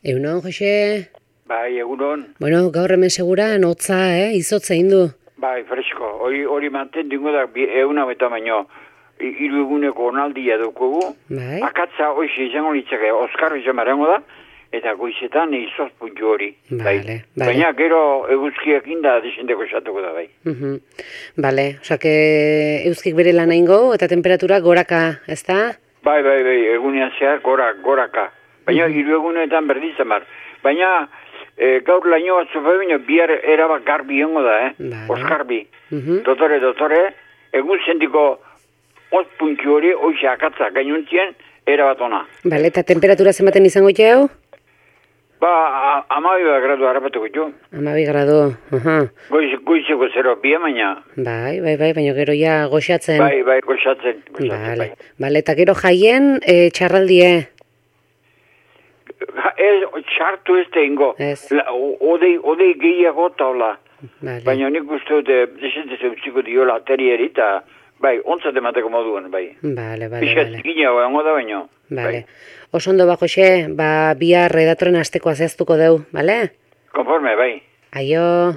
Egunon, Jose? Bai, egunon. Bueno, gaur hemen seguran, hotza, izotza indu. Bai, fresko. Hori manten dingo da, eguna beta baino, hiru eguneko onaldia dukugu. Bai. Akatza hoxe izango litzake, Oskar izan marengo da, eta goizetan izoz puntu hori. Bale. Baina gero eguzkiak inda desendeko esatuko da, bai. Bale, osake euskik bere lan eingo eta temperatura goraka, ezta? Bai, egunean zehar goraka. Baina hiru egunetan berdizan bar. Baina gaur laino batzu baina bihar erabak garbi hongo da, Oskarbi. Dotore, egun zendiko puntu hori, hoxe akatza gainuntzien, erabat ona. Bale, eta temperatura zenbaten izango jau? Ba, 12 gradu harrapatuko jo. 12 gradu, Goizeko 0, baina. Bai, baina gero ja goxatzen. Bai, goxatzen. Bale, eta gero jaien txarraldie. Txartu ez da ingo. Odei gehiago taula. Baina nik uste dute desentez eutziko diola aterieri eta bai, ontzat emateko moduan, bai. Bale. Bizkat zikina goengo da baino. Bale. Osondo ba, Jose, bihar redatoren asteko azeztuko deu, bale? Konforme, bai. Aio.